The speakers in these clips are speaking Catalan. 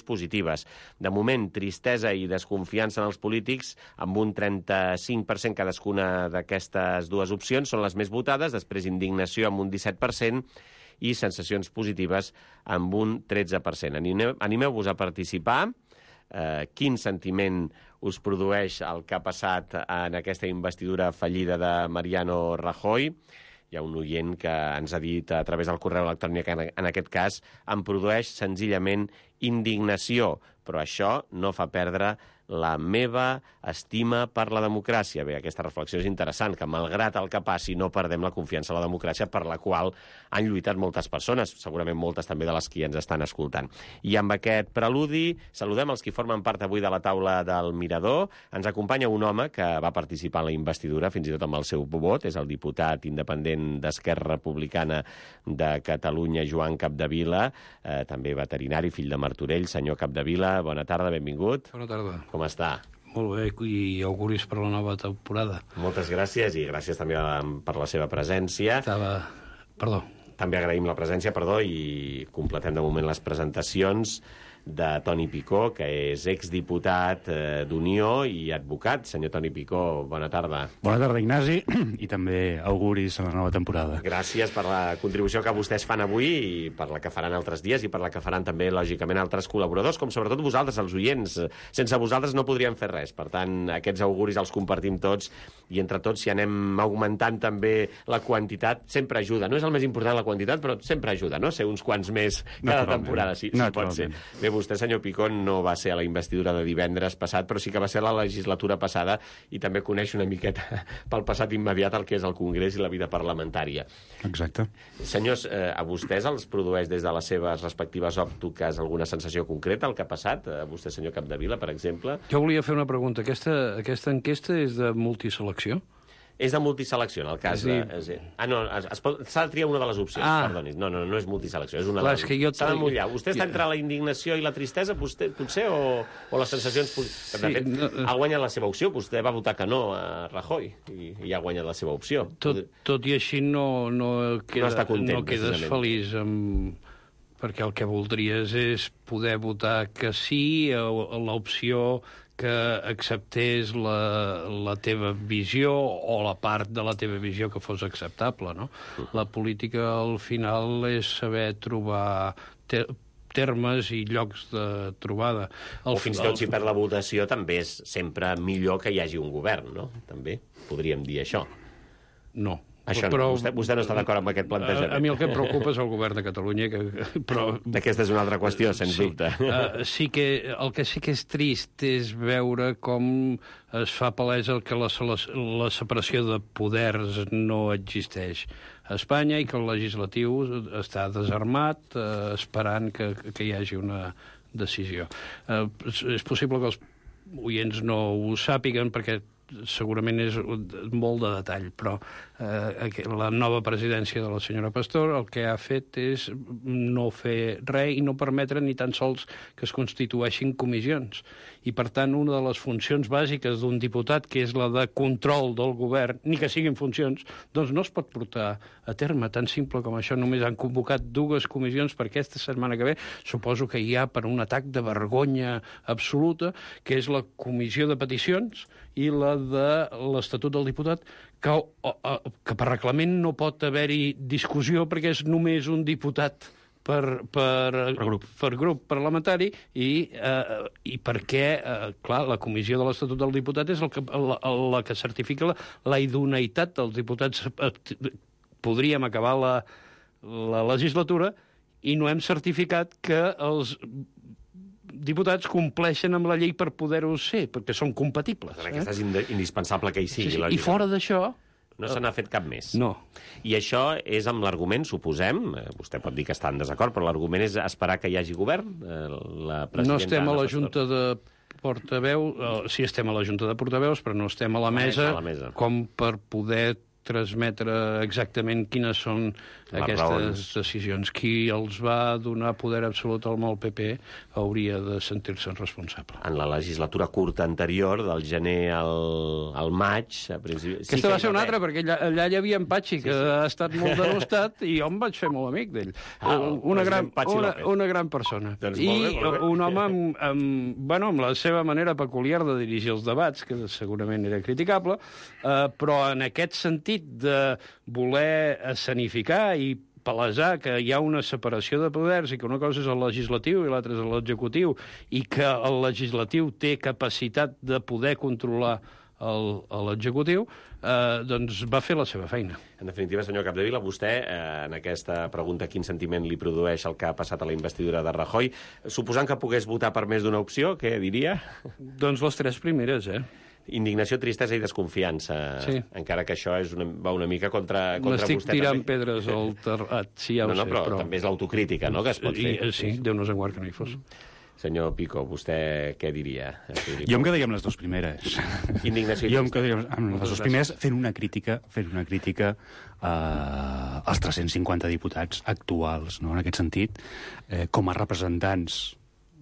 positives. De moment, tristesa i desconfiança en els polítics, amb un 35% cadascuna d'aquestes dues opcions, són les més votades, després indignació amb un 17% i sensacions positives amb un 13%. Animeu-vos a participar. Quin sentiment us produeix el que ha passat en aquesta investidura fallida de Mariano Rajoy? Hi ha un oient que ens ha dit a través del correu electrònic que en aquest cas em produeix senzillament indignació, però això no fa perdre la meva estima per la democràcia. Bé, aquesta reflexió és interessant, que malgrat el que passi no perdem la confiança en la democràcia per la qual han lluitat moltes persones, segurament moltes també de les que ens estan escoltant. I amb aquest preludi saludem els que formen part avui de la taula del Mirador. Ens acompanya un home que va participar en la investidura, fins i tot amb el seu vot, és el diputat independent d'Esquerra Republicana de Catalunya, Joan Capdevila, també veterinari, fill de Martorell. Senyor Capdevila, bona tarda, benvingut. Bona tarda. Com està? Molt bé, i auguris per la nova temporada. Moltes gràcies, i gràcies també per la seva presència. També agraïm la presència, i completem de moment les presentacions de Toni Picó, que és exdiputat d'Unió i advocat. Senyor Toni Picó, bona tarda. Bona tarda, Ignasi, i també auguris a la nova temporada. Gràcies per la contribució que vostès fan avui i per la que faran altres dies i per la que faran també, lògicament, altres col·laboradors, com sobretot vosaltres, els oients. Sense vosaltres no podríem fer res. Per tant, aquests auguris els compartim tots i entre tots, si anem augmentant també la quantitat, sempre ajuda. No és el més important la quantitat, però sempre ajuda, no? Ser uns quants més cada temporada, si pot ser. Bé, vostè, senyor Picó, no va ser a la investidura de divendres passat, però sí que va ser a la legislatura passada i també coneix una miqueta pel passat immediat el que és el Congrés i la vida parlamentària. Exacte. Senyors, a vostès els produeix des de les seves respectives òptiques alguna sensació concreta el que ha passat? A vostè, senyor Capdevila, per exemple? Jo volia fer una pregunta. Aquesta enquesta és de multiselecció? És de multiselecció, en el cas de... s'ha de triar una de les opcions, perdoni. No és multiselecció, és una de les opcions. S'ha de mullar. Vostè està entre la indignació i la tristesa, potser, o les sensacions... De fet, ha guanyat la seva opció. Vostè va votar que no a Rajoy i ha guanyat la seva opció. Tot i així no quedes feliç perquè el que voldries és poder votar que sí a l'opció que acceptés la teva visió o la part de la teva visió que fos acceptable, no? La política, al final, és saber trobar termes i llocs de trobada. O fins i tot, si per la votació, també és sempre millor que hi hagi un govern, no? També podríem dir això. No. Això no. Vostè no està d'acord amb aquest plantejament. A mi el que em preocupa és el govern de Catalunya. Aquesta és una altra qüestió, sens dubte. El que sí que és trist és veure com es fa palesa que la separació de poders no existeix a Espanya i que el legislatiu està desarmat esperant que hi hagi una decisió. És possible que els oients no ho sàpiguen perquè segurament és molt de detall, però la nova presidència de la senyora Pastor el que ha fet és no fer res i no permetre ni tan sols que es constitueixin comissions. I, per tant, una de les funcions bàsiques d'un diputat, que és la de control del govern, ni que siguin funcions, doncs no es pot portar a terme. Tan simple com això. Només han convocat 2 comissions per aquesta setmana que ve. Suposo que hi ha per un atac de vergonya absoluta, que és la comissió de peticions i la de l'Estatut del Diputat, que per reglament no pot haver-hi discussió perquè és només un diputat per grup parlamentari i perquè, clar, la comissió de l'Estatut del Diputat és la que certifica la idoneïtat dels diputats. Podríem acabar la legislatura i no hem certificat que els diputats compleixen amb la llei per poder-ho ser, perquè són compatibles. Aquesta és indispensable que hi sigui. I fora d'això... No se n'ha fet cap més. No. I això és amb l'argument, suposem, vostè pot dir que està en desacord, però l'argument és esperar que hi hagi govern? No estem a la Junta de Portaveus, sí estem a la Junta de Portaveus, però no estem a la mesa com per poder transmetre exactament quines són aquestes decisions. Qui els va donar poder absolut al PP hauria de sentir-se'n responsable. En la legislatura curta anterior, del gener al maig... Aquesta va ser una altra, perquè allà hi havia en Patxi, que ha estat molt denostat, i jo em vaig fer molt amic d'ell. Una gran persona. I un home amb la seva manera peculiar de dirigir els debats, que segurament era criticable, però en aquest sentit de voler escenificar i palesar que hi ha una separació de poders i que una cosa és el legislatiu i l'altra és l'executiu i que el legislatiu té capacitat de poder controlar l'executiu, doncs va fer la seva feina. En definitiva, senyor Capdevila, vostè, en aquesta pregunta, quin sentiment li produeix el que ha passat a la investidura de Rajoy, suposant que pogués votar per més d'una opció, què diria? Doncs les 3 primeres, Indignació, tristesa i desconfiança. Sí. Encara que això va una mica contra vostè. M'estic tirant pedres al terrat, sí, ja ho sé. Però també és l'autocrítica, no?, que es pot fer. Sí, Déu nos en guard que no hi fos. Senyor Pico, vostè què diria? Jo em quedaria amb les 2 primeres. Indignació i jo em quedaria amb les 2 primeres fent una crítica als 350 diputats actuals, no?, en aquest sentit, com a representants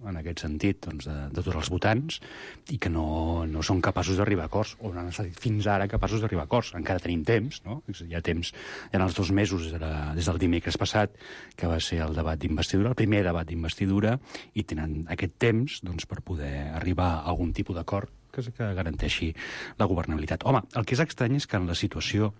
en aquest sentit, doncs, de tots els votants, i que no són capaços d'arribar a acords, o no han estat fins ara capaços d'arribar a acords. Encara tenim temps, no? Hi ha temps, hi ha els 2 mesos des del dimecres passat, que va ser el debat d'investidura, el primer debat d'investidura, i tenen aquest temps, doncs, per poder arribar a algun tipus d'acord que garanteixi la governabilitat. Home, el que és estrany és que en la situació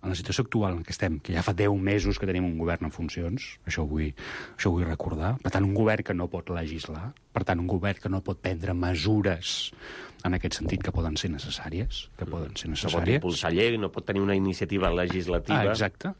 actual en què estem, que ja fa 10 mesos que tenim un govern en funcions, això ho vull recordar, per tant, un govern que no pot legislar, per tant, un govern que no pot prendre mesures en aquest sentit que poden ser necessàries, No pot impulsar llei, no pot tenir una iniciativa legislativa. Exacte.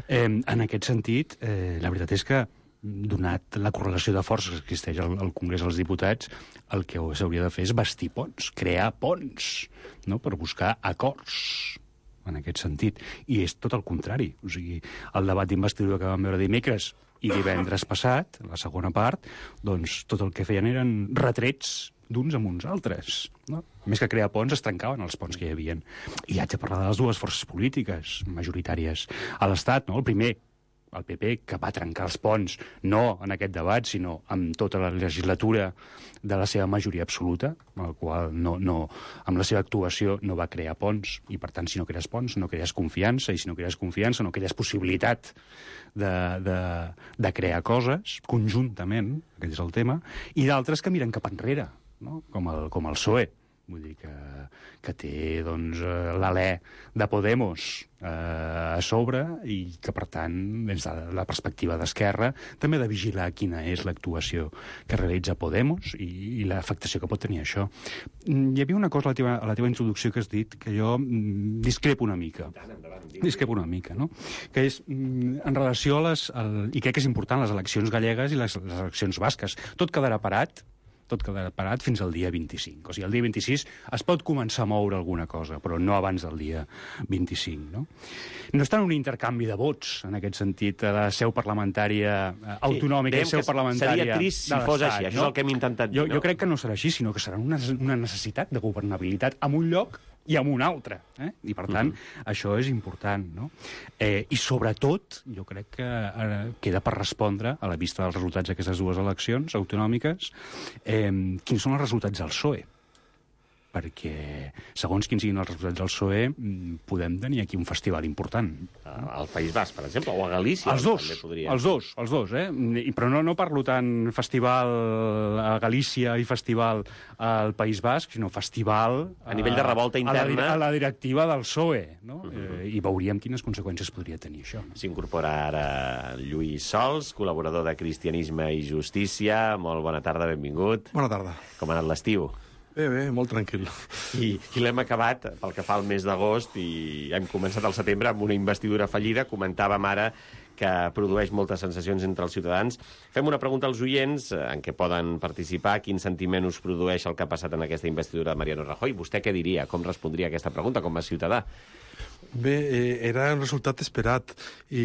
En aquest sentit, la veritat és que, donat la correlació de forces que existeix al Congrés dels Diputats, el que s'hauria de fer és bastir ponts, crear ponts, no?, per buscar acords en aquest sentit. I és tot el contrari. O sigui, el debat d'investidura que vam veure dimecres i divendres passat, la segona part, doncs tot el que feien eren retrets d'uns amb uns altres. No? Més que crear ponts, es trencaven els ponts que hi havia. I haig de parlar de les 2 forces polítiques majoritàries a l'Estat, no? El primer, el PP, que va trencar els ponts, no en aquest debat, sinó amb tota la legislatura de la seva majoria absoluta, amb el qual amb la seva actuació no va crear ponts, i per tant, si no crees ponts, no crees confiança, i si no crees confiança, no crees possibilitat de crear coses conjuntament, aquest és el tema, i d'altres que miren cap enrere, no?, com el PSOE. Vull dir que té, doncs, l'alè de Podemos a sobre i que, per tant, des de la perspectiva d'Esquerra, també ha de vigilar quina és l'actuació que realitza Podemos i l'afectació que pot tenir això. Hi havia una cosa a la teva introducció que has dit que jo discrepo una mica. No? Que és en relació a i crec que és important, les eleccions gallegues i les eleccions basques. Tot quedarà parat fins al dia 25. O sigui, el dia 26 es pot començar a moure alguna cosa, però no abans del dia 25, no? No està en un intercanvi de vots, en aquest sentit, de seu parlamentària autonòmica i seu parlamentària seria trist si fos així, això és el que hem intentat dir. Jo crec que no serà així, sinó que serà una necessitat de governabilitat en un lloc i en un altre. I, per tant, això és important, no? I, sobretot, jo crec que queda per respondre, a la vista dels resultats d'aquestes 2 eleccions autonòmiques, quins són els resultats del PSOE. Perquè, segons quins siguin els resultats del PSOE, podem tenir aquí un festival important. Al País Basc, per exemple, o a Galícia. Els dos, però no parlo tant festival a Galícia i festival al País Basc, sinó festival a nivell de revolta interna a la directiva del PSOE, no? I veuríem quines conseqüències podria tenir això. S'incorpora ara Lluís Sols, col·laborador de Cristianisme i Justícia. Molt bona tarda, benvingut. Bona tarda. Com ha anat l'estiu? Bé, molt tranquil. I l'hem acabat, pel que fa al mes d'agost, i hem començat al setembre amb una investidura fallida. Comentàvem ara que produeix moltes sensacions entre els ciutadans. Fem una pregunta als oients en què poden participar. Quin sentiment us produeix el que ha passat en aquesta investidura de Mariano Rajoy? Vostè què diria? Com respondria a aquesta pregunta com a ciutadà? Bé, era un resultat esperat i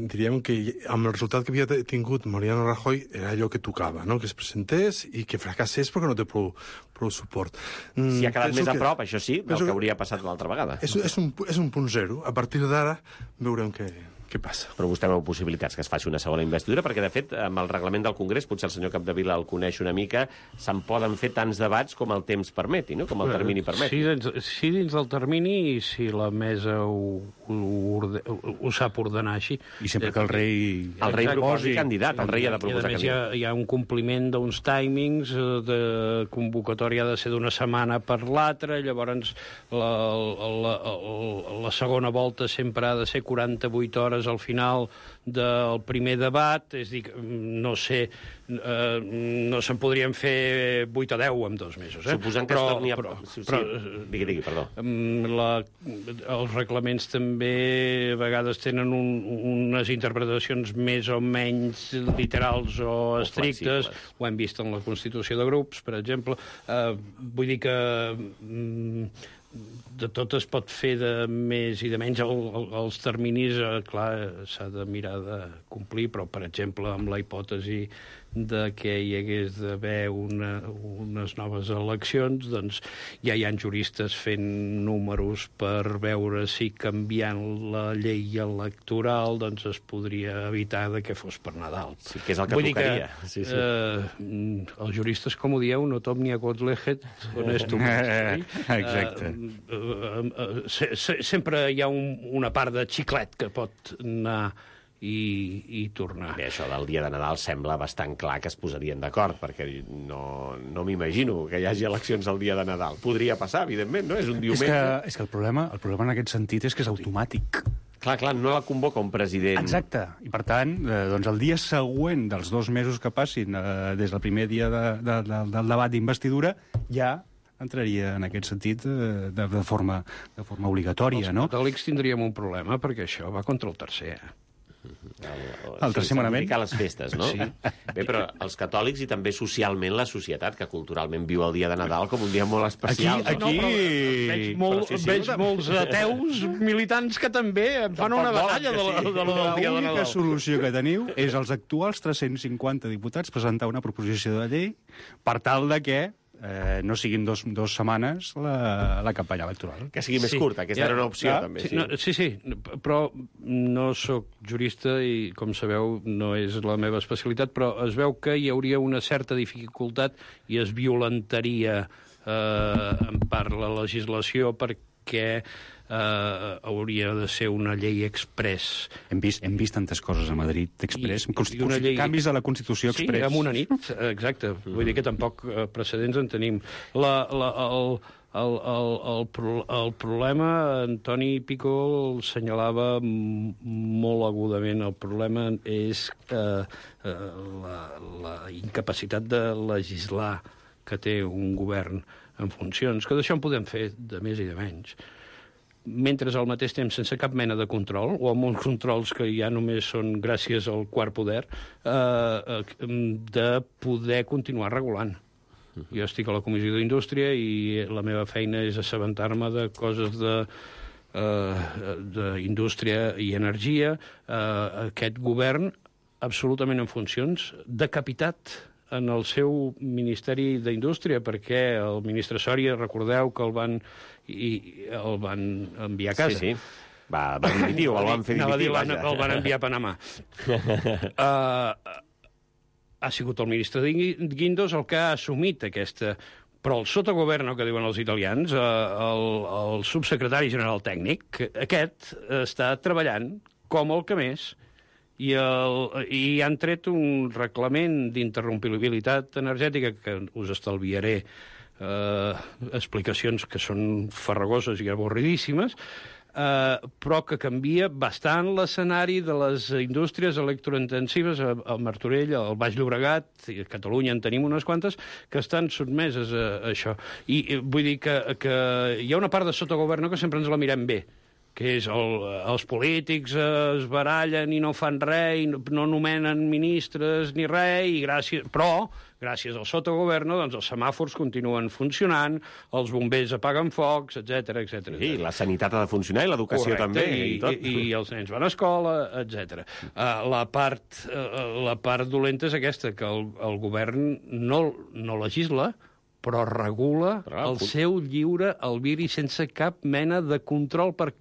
diríem que amb el resultat que havia tingut Mariano Rajoy era allò que tocava, no? Que es presentés i que fracassés perquè no té prou suport. Si ha quedat més a prop, això sí, del que hauria passat l'altra vegada. És un punt zero. A partir d'ara veurem què passa. Però vostè veu possibilitats que es faci una segona investidura, perquè, de fet, amb el reglament del Congrés, potser el senyor Capdevila el coneix una mica, se'n poden fer tants debats com el temps permeti, no? Com el termini permeti. Sí, dins del termini, i si la mesa ho sap ordenar així. I sempre que el rei... El rei proposi candidat, el rei ha de proposar candidat. Hi ha un compliment d'uns timings, de convocatòria ha de ser d'una setmana per l'altra, llavors la segona volta sempre ha de ser 48 hores al final del primer debat, és a dir, no sé, no se'n podrien fer 8 o 10 en 2 mesos. Suposant que es torni a... Digui, perdó. Els reglaments també a vegades tenen unes interpretacions més o menys literals o estrictes. Ho hem vist en la Constitució de grups, per exemple. Vull dir que de tot es pot fer de més i de menys. Els terminis, clar, s'ha de mirar de complir, però, per exemple, amb la hipòtesi de que hi hagués d'haver unes noves eleccions, doncs ja hi ha juristes fent números per veure si canviant la llei electoral doncs es podria evitar de que fos per Nadal. Sí, que és el que tocaria. Els juristes, com ho dieu, no omnia quod leget honestum est. Exacte. Sempre hi ha una part de xiclet que pot anar i tornar. Bé, això del dia de Nadal sembla bastant clar que es posarien d'acord, perquè no m'imagino que hi hagi eleccions el dia de Nadal. Podria passar, evidentment, no? És un diumenge. És que el problema en aquest sentit és que és automàtic. Clar, no la convoca un president. Exacte. I, per tant, doncs el dia següent dels 2 mesos que passin des del primer dia del debat d'investidura, ja entraria en aquest sentit de forma obligatòria, no? Els catòlics tindríem un problema, perquè això va contra el tercer. El tercer manament. Les festes, no? Sí. Bé, però els catòlics i també socialment la societat, que culturalment viu el dia de Nadal com un dia molt especial. Aquí... Veig molts ateus militants que també fan una batalla del dia de Nadal. L'única solució que teniu és els actuals 350 diputats presentar una proposició de llei per tal de que no siguin 2 setmanes la campanya electoral. Que sigui més curta, aquesta era una opció, també. Sí, però no sóc jurista i, com sabeu, no és la meva especialitat, però es veu que hi hauria una certa dificultat i es violentaria en part la legislació perquè hauria de ser una llei express. Hem vist tantes coses a Madrid express, canvis a la Constitució express. Sí, en una nit, exacte. Vull dir que tampoc precedents en tenim. El problema, Antoni Pico el senyalava molt agudament, el problema és la incapacitat de legislar que té un govern en funcions, que d'això en podem fer de més i de menys. Mentre al mateix temps, sense cap mena de control, o amb uns controls que ja només són gràcies al quart poder, de poder continuar regulant. Jo estic a la Comissió d'Indústria i la meva feina és assabentar-me de coses d'indústria i energia. Aquest govern, absolutament en funcions, decapitat en el seu Ministeri d'Indústria, perquè el ministre Soria, recordeu que el van enviar a casa. Sí. Va dimitir, o el van fer dimitir. El van enviar a Panamà. Ha sigut el ministre Guindos el que ha assumit aquesta... Però el sotogoverno, que diuen els italians, el subsecretari general tècnic, aquest està treballant com el que més, i han tret un reglament d'interrompibilitat energètica que us estalviaré explicacions que són farragoses i avorridíssimes, però que canvia bastant l'escenari de les indústries electrointensives al Martorell, al Baix Llobregat, i a Catalunya en tenim unes quantes, que estan sotmeses a això. I vull dir que hi ha una part de sotogoverno que sempre ens la mirem bé, que és els polítics es barallen i no fan res, i no nomenen ministres ni res, però gràcies al sotogoverno, doncs els semàfors continuen funcionant, els bombers apaguen focs, etc etc. Sí, la sanitat ha de funcionar i l'educació també. I els nens van a escola, etc. La part dolenta és aquesta, que el govern no legisla, però regula el seu lliure albiri sense cap mena de control per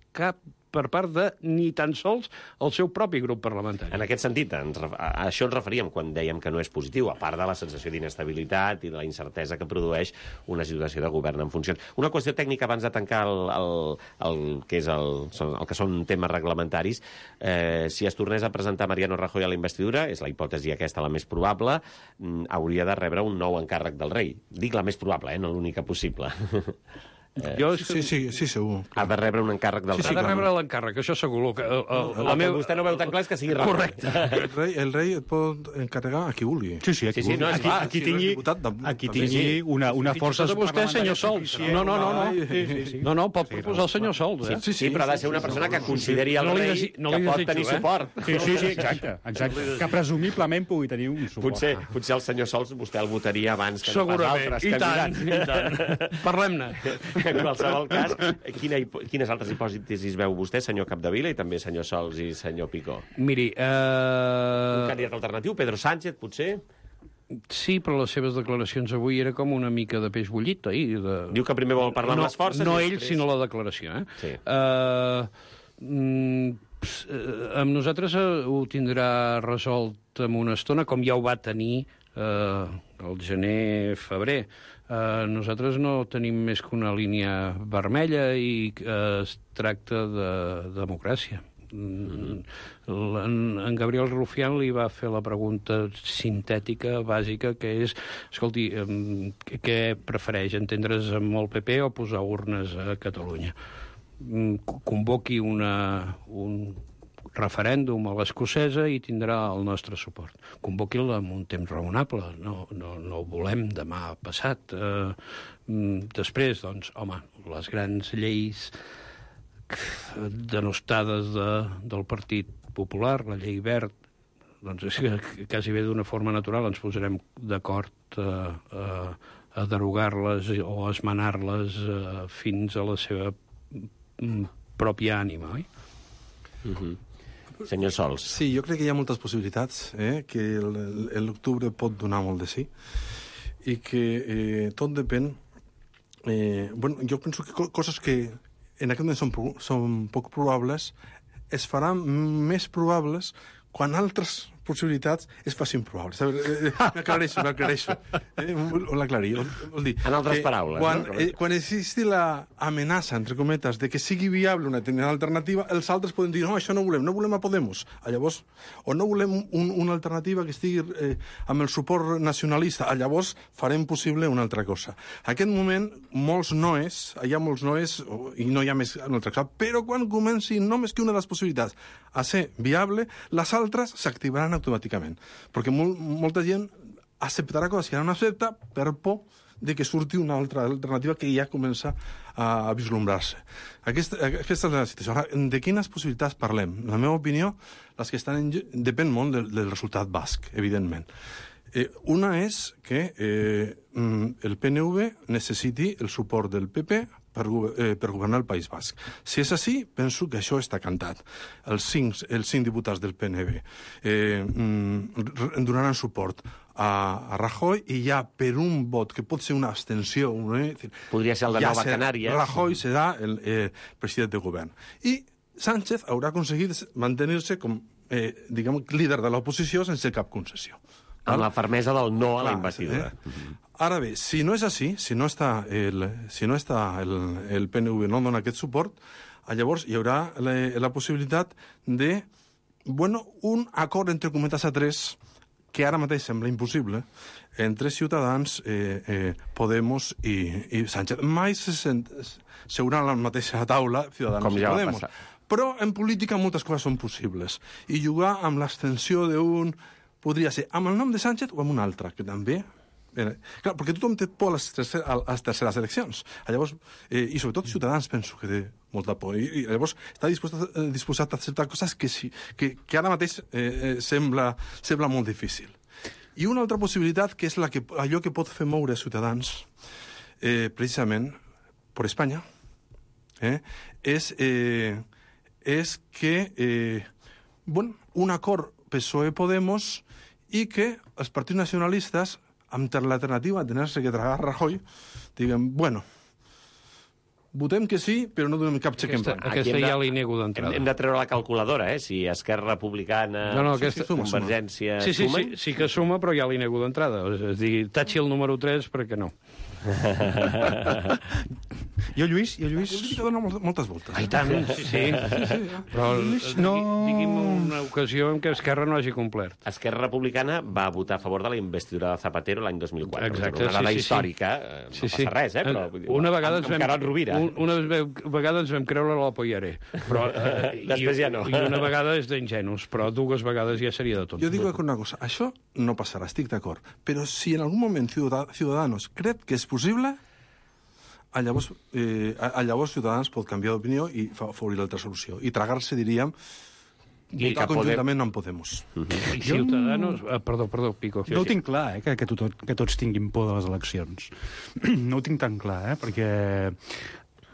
part de ni tan sols el seu propi grup parlamentari. En aquest sentit, a això ens referíem quan dèiem que no és positiu, a part de la sensació d'inestabilitat i de la incertesa que produeix una situació de govern en funcions. Una qüestió tècnica abans de tancar el que són temes reglamentaris. Si es tornés a presentar Mariano Rajoy a la investidura, és la hipòtesi aquesta la més probable, hauria de rebre un nou encàrrec del rei. Dic la més probable, no l'única possible. Sí, segur. Ha de rebre un encàrrec del rei. Ha de rebre l'encàrrec, això segur. El que vostè no veu tan clar és que sigui Rajoy. Correcte. El rei et pot encarregar a qui vulgui. Sí, aquí tingui una força... De vostè, senyor Sols. No, pot proposar el senyor Sols. Sí, però ha de ser una persona que consideri el rei que pot tenir suport. Sí, exacte. Que presumiblement pugui tenir un suport. Potser el senyor Sols vostè el votaria abans que no pas altres candidats. I tant. Parlem-ne. En qualsevol cas, quines altres hipòtesis veu vostè, senyor Capdevila, i també senyor Sols i senyor Picó? Miri... Un candidat alternatiu, Pedro Sánchez, potser? Sí, però les seves declaracions avui era com una mica de peix bullit, oi? Diu que primer vol parlar amb les forces... No ell, sinó la declaració, Sí. Amb nosaltres ho tindrà resolt en una estona, com ja ho va tenir el gener-febrer. Nosaltres no tenim més que una línia vermella i es tracta de democràcia. En Gabriel Rufián li va fer la pregunta sintètica, bàsica, que és, escolti, què prefereix, entendre's amb el PP o posar urnes a Catalunya? Convoqui un referèndum a l'escocesa i tindrà el nostre suport. Convoqui'l en un temps raonable, no ho volem demà passat. Després, doncs, home, les grans lleis denostades del Partit Popular, la llei Wert, doncs és que quasi bé d'una forma natural ens posarem d'acord a derogar-les o a esmenar-les fins a la seva pròpia ànima, oi? Senyor Sols. Sí, jo crec que hi ha moltes possibilitats, que l'octubre pot donar molt de sí, i que tot depèn... jo penso que coses que en aquest moment són poc probables es faran més probables quan altres possibilitats es facin probables. M'aclareixo. Ho l'aclarir. En altres paraules. Quan existi l'amenaça, entre cometes, de que sigui viable una determinada alternativa, els altres poden dir, no, això no volem a Podemos. Llavors, o no volem una alternativa que estigui amb el suport nacionalista. Llavors farem possible una altra cosa. En aquest moment, hi ha molts noes i no hi ha més una altra cosa, però quan comenci només que una de les possibilitats a ser viable, les altres s'activaran automàticament. Perquè molta gent acceptarà coses que no accepta per por de que surti una altra alternativa que ja comença a vislumbrar-se. Aquesta és la situació. Ara, de quines possibilitats parlem? En la meva opinió, les que estan depèn molt del resultat basc, evidentment. Una és que el PNV necessiti el suport del PP per governar el País Basc. Si és així, penso que això està cantat. Els cinc diputats del PNV donaran suport a Rajoy i ja per un vot que pot ser una abstenció... Podria ser el de Nova Canària. Rajoy serà el president de govern. I Sánchez haurà aconseguit mantenir-se com, líder de l'oposició sense cap concessió. Amb la fermesa del no a la investidura. Ara bé, si no és així, si no està el PNV no dona aquest suport, llavors hi haurà la possibilitat de, un acord entre cometes a tres, que ara mateix sembla impossible, entre Ciutadans, Podemos i Sánchez. Mai seuran a la mateixa taula Ciutadans i Podemos. Però en política moltes coses són possibles. I jugar amb l'extensió d'un... podria ser amb el nom de Sánchez o amb un altre, que també Clar, perquè tothom té por a les terceres eleccions. Llavors, i sobretot Ciutadans penso que té molta por. I llavors està disposat a acceptar coses que ara mateix sembla molt difícil. I una altra possibilitat, que és allò que pot fer moure Ciutadans, precisament per Espanya, és que un acord PSOE-Podemos i que els partits nacionalistes, amb l'alternativa de tenir-se que tragar Rajoy, diguen, bueno, votem que sí, però no donem cap xec en blanc. Aquesta ja li nego d'entrada. Hem de treure la calculadora, si Esquerra Republicana, Convergència... Sí que suma, però ja li nego d'entrada. És dir, tachi el número 3 perquè no. Jo, Lluís... La política dona moltes voltes. I tant, sí. Però digui'm una ocasió en què Esquerra no hagi complert. Esquerra Republicana va votar a favor de la investidura de Zapatero l'any 2004. Exacte, una dada històrica, no passa res, però... Una vegada ens vam creure la Poyaré. Però després ja no. I una vegada és d'ingenus, però 2 vegades ja seria de tot. Jo dic una cosa, això no passarà, estic d'acord, però si en algun moment Ciudadanos crec que és possible, llavors Ciutadans pot canviar d'opinió i favorir l'altra solució. I tragar-se, diríem, votar conjuntament no en Podemos. I Ciutadanos... Perdó, Pico. No ho tinc clar, que tots tinguin por de les eleccions. No ho tinc tan clar, perquè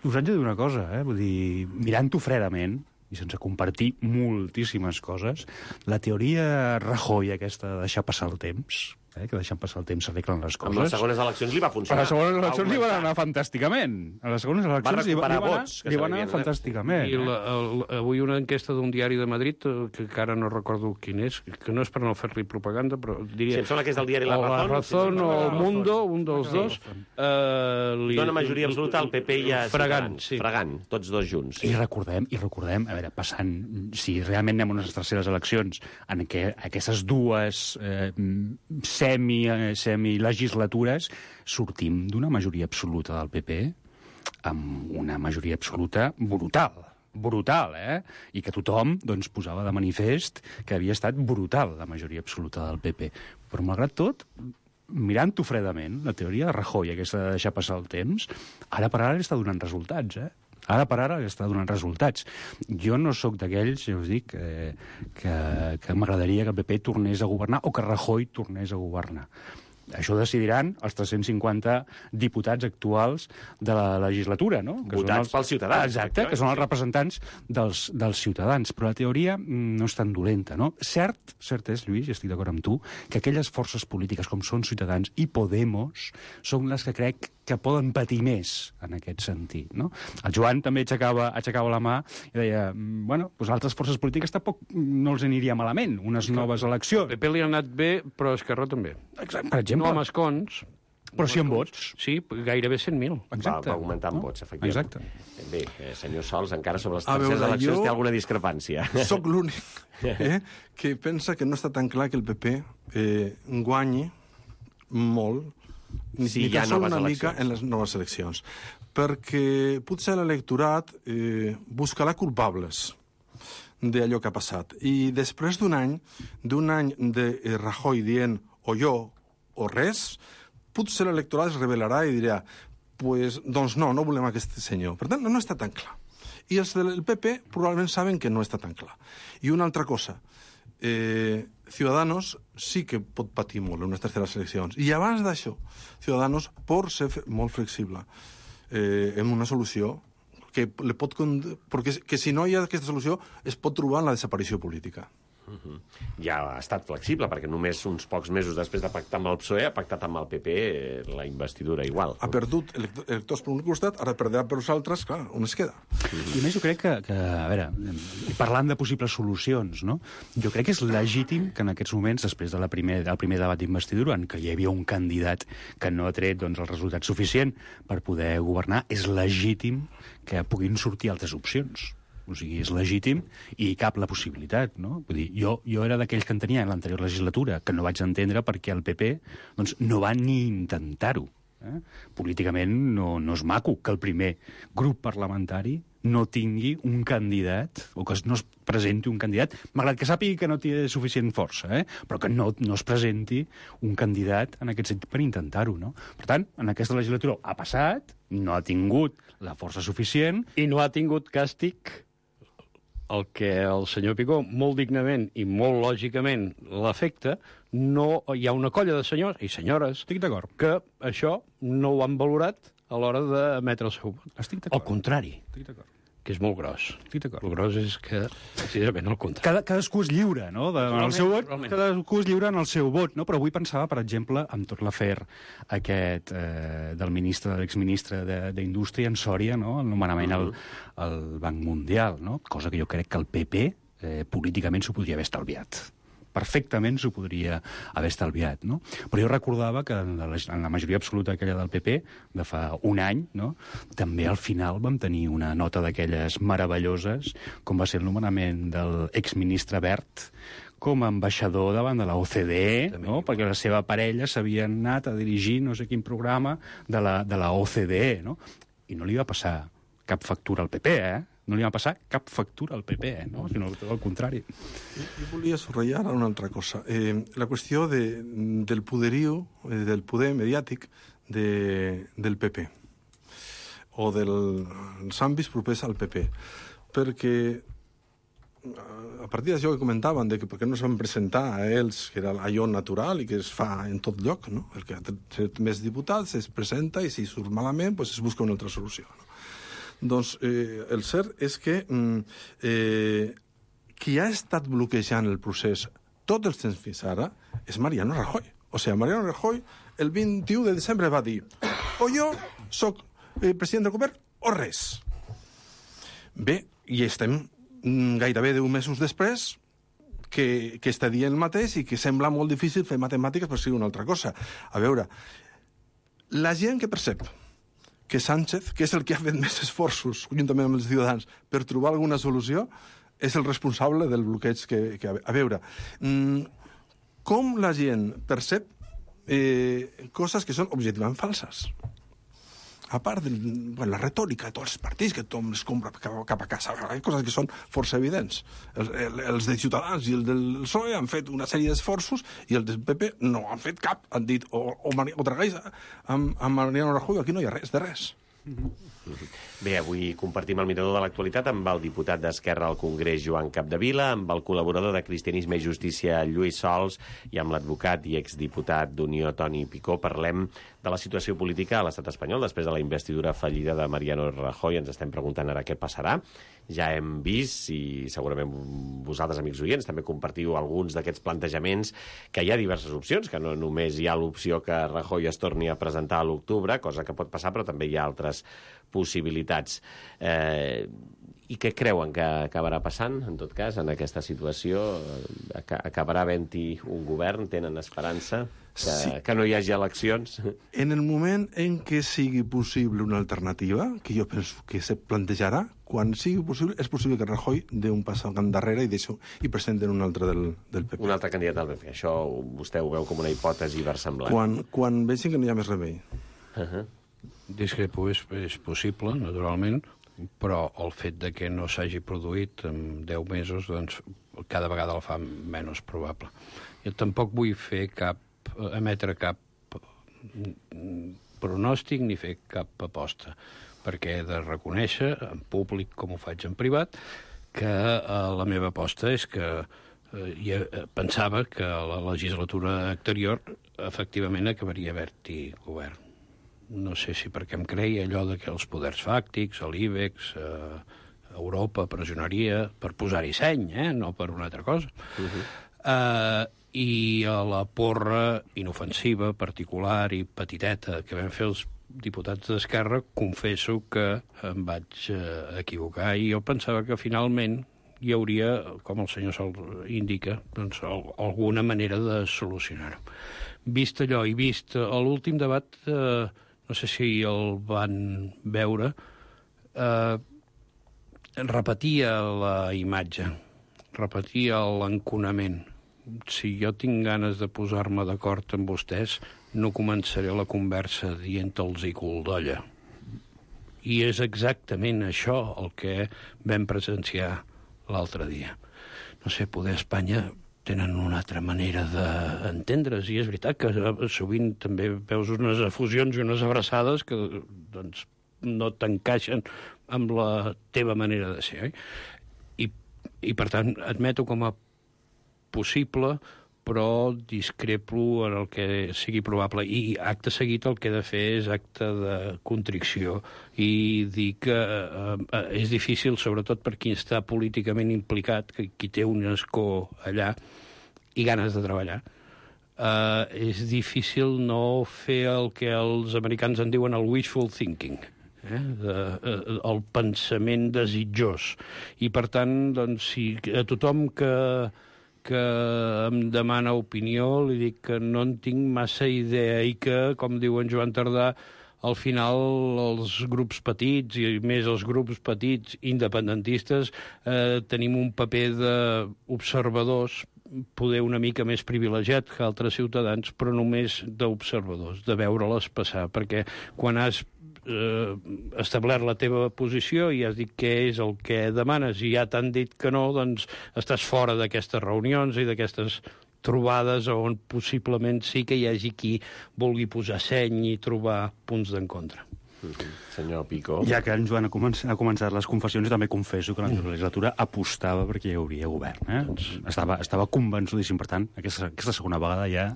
us haig de dir una cosa, vull dir, mirant-ho fredament, i sense compartir moltíssimes coses, la teoria Rajoy aquesta de deixar passar el temps, que deixant passar el temps s'arreglen les coses... Amb les segones eleccions li va funcionar. A les segones eleccions li van anar fantàsticament. A les segones eleccions li van anar fantàsticament. I avui una enquesta d'un diari de Madrid, que encara no recordo quin és, que no és per no fer-li propaganda, però diria... Si em sembla que és del diari La Razón o El Mundo, un dels dos... Dona majoria absoluta al PP i a Ciutadans. Fregant, tots dos junts. I recordem, a veure, passant, si realment anem a unes terceres eleccions en què aquestes dues semilegislatures sortim d'una majoria absoluta del PP amb una majoria absoluta brutal, i que tothom posava de manifest que havia estat brutal la majoria absoluta del PP. Però malgrat tot, mirant-ho fredament, la teoria de Rajoy, aquesta de deixar passar el temps, ara per ara està donant resultats, Ara per ara està donant resultats. Jo no sóc d'aquells, ja us dic, que m'agradaria que el PP tornés a governar o que Rajoy tornés a governar. Això ho decidiran els 350 diputats actuals de la legislatura, no? Votats pels ciutadans. Exacte, que són els representants dels ciutadans. Però la teoria no és tan dolenta, no? Cert és, Lluís, i estic d'acord amb tu, que aquelles forces polítiques com són Ciutadans i Podemos són les que crec que poden patir més en aquest sentit, no? El Joan també aixecava la mà i deia, altres forces polítiques tampoc no els aniria malament, unes noves eleccions. El PP li ha anat bé, però Esquerra també. Exacte, per exemple. No amb escons. Però sí amb vots. Sí, gairebé 100.000. Va augmentar amb vots, efectivament. Exacte. Bé, senyor Sols, encara sobre les terceres eleccions té alguna discrepància. Soc l'únic que pensa que no està tan clar que el PP guanyi molt ni tan sols una mica en les noves eleccions. Perquè potser l'electorat buscarà culpables d'allò que ha passat. I després d'un any de Rajoy dient o jo o res, potser l'electorat es rebel·larà i dirà doncs no volem aquest senyor. Per tant, no està tan clar. I els del PP probablement saben que no està tan clar. I una altra cosa, Ciudadanos sí que pot patir molt en unes terceres eleccions. I abans d'això, Ciudadanos pot ser molt flexible en una solució perquè si no hi ha aquesta solució es pot trobar en la desaparició política. Ja ha estat flexible, perquè només uns pocs mesos després de pactar amb el PSOE ha pactat amb el PP la investidura igual. Ha perdut electors per un costat, ara perdrà per els altres, clar, on es queda? I a més jo crec que a veure, parlant de possibles solucions, no? Jo crec que és legítim que en aquests moments, després del primer debat d'investidura, en què hi havia un candidat que no ha tret el resultat suficient per poder governar, és legítim que puguin sortir altres opcions. O sigui, és legítim i cap la possibilitat, no? Vull dir, jo era d'aquells que en tenia en l'anterior legislatura, que no vaig entendre perquè el PP no va ni intentar-ho. Políticament no és maco que el primer grup parlamentari no tingui un candidat, o que no es presenti un candidat, malgrat que sàpigui que no té suficient força, però que no es presenti un candidat en aquest sentit per intentar-ho, no? Per tant, en aquesta legislatura ha passat, no ha tingut la força suficient... I no ha tingut càstig el que el senyor Picó, molt dignament i molt lògicament, l'afecta. No hi ha una colla de senyors i senyores que això no ho han valorat a l'hora d'emetre el seu vot. Al contrari, que és molt gros. El gros és que, precisament, el contrari. Cadascú és lliure, no?, en el seu vot. Cadascú és lliure en el seu vot, no? Però avui pensava, per exemple, amb tot l'afer aquest de l'exministre d'Indústria en Sòria, no?, el nomenament al Banc Mundial, no?, cosa que jo crec que el PP políticament s'ho podria haver estalviat. Perfectament s'ho podria haver estalviat, no? Però jo recordava que en la majoria absoluta aquella del PP, de fa un any, no?, també al final vam tenir una nota d'aquelles meravelloses, com va ser el nomenament del exministre Wert com a ambaixador davant de la OCDE, no?, perquè la seva parella s'havia anat a dirigir no sé quin programa de la OCDE, no? I no li va passar cap factura al PP, No li va passar cap factura al PP, no? Sinó tot el contrari. Jo volia subratllar una altra cosa. La qüestió del poderío, del poder mediàtic del PP, o dels àmbits propers al PP. Perquè a partir d'això que comentaven, de que per què no es van presentar a ells, que era allò natural i que es fa en tot lloc, no? El que té més diputats es presenta i si surt malament pues es busca una altra solució, no? Doncs el cert és que qui ha estat bloquejant el procés tot el temps fins ara és Mariano Rajoy. O sigui, Mariano Rajoy el 21 de desembre va dir o jo soc president del govern o res. Bé, i estem gairebé 10 mesos després que està dient el mateix i que sembla molt difícil fer matemàtiques per ser una altra cosa. A veure, la gent que percep que Sánchez, que és el que ha fet més esforços, juntament amb els ciutadans, per trobar alguna solució, és el responsable del bloqueig que a veure, com la gent percep coses que són objectivament falses? A part de la retòrica de tots els partits, que tothom es compra cap a casa, hi ha coses que són força evidents. Els de Ciutadans i els del PSOE han fet una sèrie d'esforços i els del PP no han fet cap. Han dit, o tragueix amb Mariano Rajoy, aquí no hi ha res de res. Bé, avui compartim el mirador de l'actualitat amb el diputat d'Esquerra al Congrés, Joan Capdevila, amb el col·laborador de Cristianisme i Justícia, Lluís Sols, i amb l'advocat i exdiputat d'Unió, Toni Picó. Parlem de la situació política a l'estat espanyol després de la investidura fallida de Mariano Rajoy. Ens estem preguntant ara què passarà. Ja hem vist, i segurament vosaltres, amics oients, també compartiu alguns d'aquests plantejaments, que hi ha diverses opcions, que no només hi ha l'opció que Rajoy es torni a presentar a l'octubre, cosa que pot passar, però també hi ha altres possibilitats. I què creuen que acabarà passant, en tot cas, en aquesta situació? Acabarà havent-hi un govern? Tenen esperança que no hi hagi eleccions? En el moment en què sigui possible una alternativa, que jo penso que se plantejarà, quan sigui possible, és possible que Rajoy dé un pas endarrere i presenten un altre del PP. Un altre candidat del PP. Això vostè ho veu com una hipòtesi versemblant. Quan vegin que no hi ha més remei. Discrepo, és possible, naturalment, però el fet de que no s'hagi produït en 10 mesos, doncs, cada vegada el fa menys probable. Jo tampoc vull emetre cap pronòstic ni fer cap aposta, perquè he de reconèixer, en públic com ho faig en privat, que la meva aposta és que pensava que la legislatura anterior efectivament acabaria havent-hi govern. No sé si perquè em creia allò de que els poders fàctics, l'IBEX, Europa pressionaria per posar-hi seny, no per una altra cosa. I a la porra inofensiva, particular i petiteta que vam fer els diputats d'Esquerra, confesso que em vaig equivocar i jo pensava que finalment hi hauria, com el senyor Sol indica, doncs, alguna manera de solucionar-ho. Vist allò i vist l'últim debat, no sé si el van veure, repetia la imatge, repetia l'enconament. Si jo tinc ganes de posar-me d'acord amb vostès, no començaré la conversa dient-los i cul d'olla. I és exactament això el que vam presenciar l'altre dia. No sé, poder Espanya tenen una altra manera d'entendre's, i és veritat que sovint també veus unes efusions i unes abraçades que doncs, no t'encaixen amb la teva manera de ser. I per tant, admeto com a possible, però discrepo en el que sigui probable. I acte seguit el que he de fer és acte de contricció i dir que és difícil, sobretot per qui està políticament implicat, qui té un escó allà i ganes de treballar. És difícil no fer el que els americans en diuen el wishful thinking, el pensament desitjós. I, per tant, doncs, si a tothom que em demana opinió, li dic que no en tinc massa idea i que, com diu en Joan Tardà, al final els grups petits, i més els grups petits independentistes, tenim un paper d'observadors, poder una mica més privilegiat que altres ciutadans, però només d'observadors, de veure-les passar, perquè quan has establert la teva posició i has dit què és el que demanes i ja t'han dit que no, doncs estàs fora d'aquestes reunions i d'aquestes trobades on possiblement sí que hi hagi qui vulgui posar seny i trobar punts d'encontre. Senyor Pico. Ja que en Joan ha començat les confessions, jo també confesso que l'anterior legislatura apostava perquè hi hauria govern. Estava convençudíssim. Per tant, aquesta segona vegada ja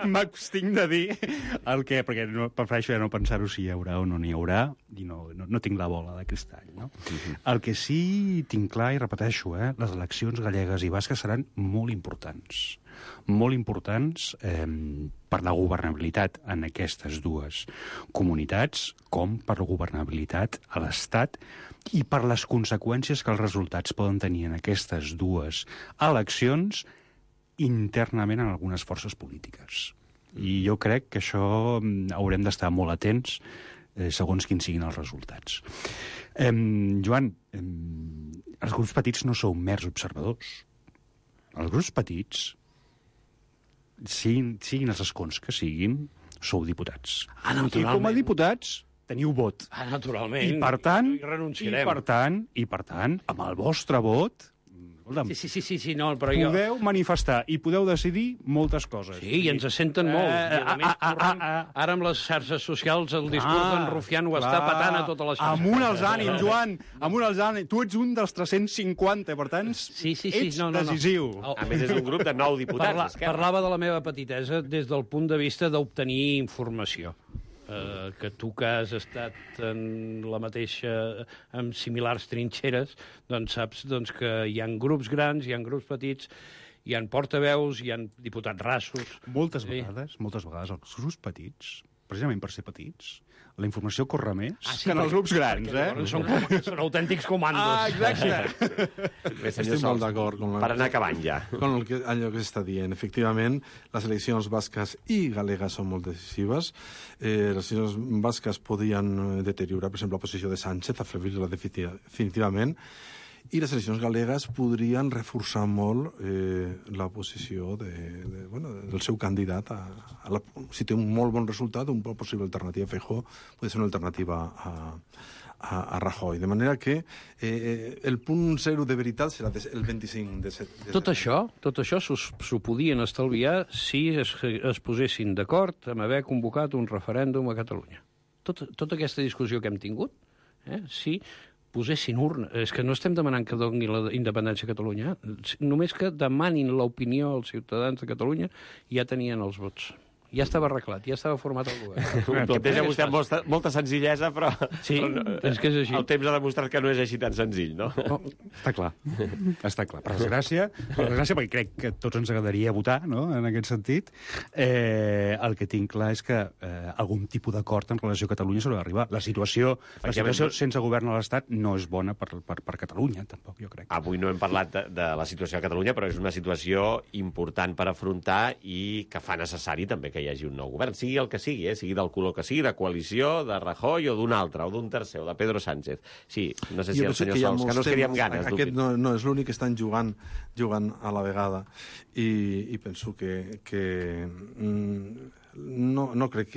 m'abstinc de dir el que... Perquè prefereixo ja no pensar-ho si hi haurà o no n'hi haurà, i no tinc la bola de cristall. No? El que sí tinc clar, i repeteixo, les eleccions gallegues i basques seran molt importants per la governabilitat en aquestes dues comunitats, com per la governabilitat a l'Estat i per les conseqüències que els resultats poden tenir en aquestes dues eleccions internament en algunes forces polítiques. I jo crec que això haurem d'estar molt atents segons quins siguin els resultats. Joan, els grups petits no sou mers observadors. Els grups petits, siguin els escons que siguin, sou diputats. I com a diputats teniu vot. Naturalment. I per tant, hi renunciarem. I per tant, amb el vostre vot, Sí, no, però podeu manifestar i podeu decidir moltes coses. Sí, i ens senten molt. I a més, ara amb les xarxes socials el discurs d'en Rufián ho està patant a totes les xarxes. Amunt els ànims, Joan! Amunt els ànims! Tu ets un dels 350, per tant, ets decisiu. A més, és un grup de 9 diputats. Parlava de la meva petitesa des del punt de vista d'obtenir informació. Que tu que has estat en la mateixa, amb similars trinxeres, doncs saps que hi ha grups grans, hi ha grups petits, hi ha portaveus, hi ha diputats rassos. Moltes vegades els grups petits, precisament per ser petits, la informació corre més que en els grups grans, Són autèntics comandos. Exacte. Estic molt d'acord per anar acabant ja. Con allò que s'està dient. Efectivament, les eleccions basques i galegues són molt decisives. Les eleccions basques podien deteriorar, per exemple, la posició de Sánchez, afeblir-la definitivament, i les eleccions galegues podrien reforçar molt la posició del seu candidat. Si té un molt bon resultat, una possible alternativa a Feijóo pot ser una alternativa a Rajoy. De manera que el punt zero de veritat serà el 25 de setembre. Tot això s'ho podien estalviar si es posessin d'acord amb haver convocat un referèndum a Catalunya. Tota aquesta discussió que hem tingut, si posessin urna. És que no estem demanant que doni la independència a Catalunya. Només que demanin l'opinió als ciutadans de Catalunya ja tenien els vots. Ja estava arreglat, ja estava format el govern. Ho planteja vostè amb molta senzillesa, però... Sí, és que és així. El temps ha demostrat que no és així tan senzill, no? Està clar. Per desgràcia, perquè crec que tots ens agradaria votar, no?, en aquest sentit. El que tinc clar és que algun tipus d'acord en relació a Catalunya s'haurà d'arribar. La situació sense govern a l'Estat no és bona per Catalunya, tampoc, jo crec. Avui no hem parlat de la situació a Catalunya, però és una situació important per afrontar i que fa necessari també que hi hagi un nou govern, sigui el que sigui, sigui del color que sigui, de coalició, de Rajoy o d'un altre, o d'un tercer, o de Pedro Sánchez. Sí, no sé si el senyor Sols, que no es quedi amb ganes. Aquest no és l'únic que estan jugant a la vegada. I penso que no crec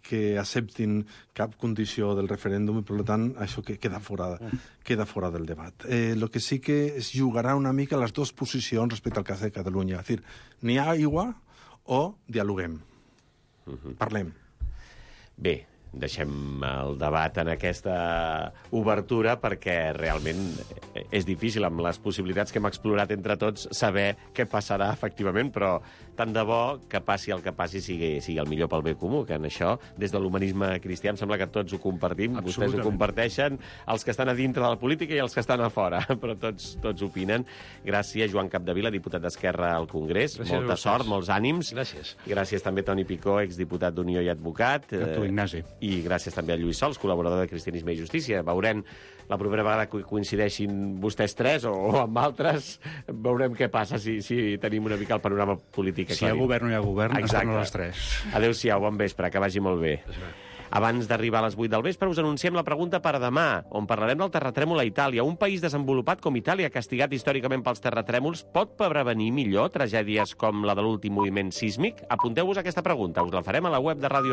que acceptin cap condició del referèndum i, per tant, això queda fora del debat. El que sí que es jugarà una mica les dues posicions respecte al cas de Catalunya. És a dir, n'hi ha aigua o dialoguem. Parlem. Bé, deixem el debat en aquesta obertura perquè realment és difícil, amb les possibilitats que hem explorat entre tots, saber què passarà efectivament, però tant de bo que passi el que passi sigui el millor pel bé comú, que en això, des de l'humanisme cristià, em sembla que tots ho compartim, vostès ho comparteixen, els que estan a dintre de la política i els que estan a fora, però tots opinen. Gràcies, Joan Capdevila, diputat d'Esquerra al Congrés. Gràcies. Molta sort, molts ànims. Gràcies. I gràcies també a Toni Picó, exdiputat d'Unió i advocat. A tu, Ignasi. I gràcies també a Lluís Sols, col·laborador de Cristianisme i Justícia. Veurem la propera vegada que coincideixin vostès tres o amb altres, veurem què passa si tenim una mica el panorama polític. Si hi ha govern o no hi ha govern, estan a les 3. Adéu-siau, bon vespre, que vagi molt bé. Abans d'arribar a les 8 del vespre, us anunciem la pregunta per demà, on parlarem del terratrèmol a Itàlia. Un país desenvolupat com Itàlia, castigat històricament pels terratrèmols, pot prevenir millor tragèdies com la de l'últim moviment sísmic? Apunteu-vos aquesta pregunta, us la farem a la web de Ràdio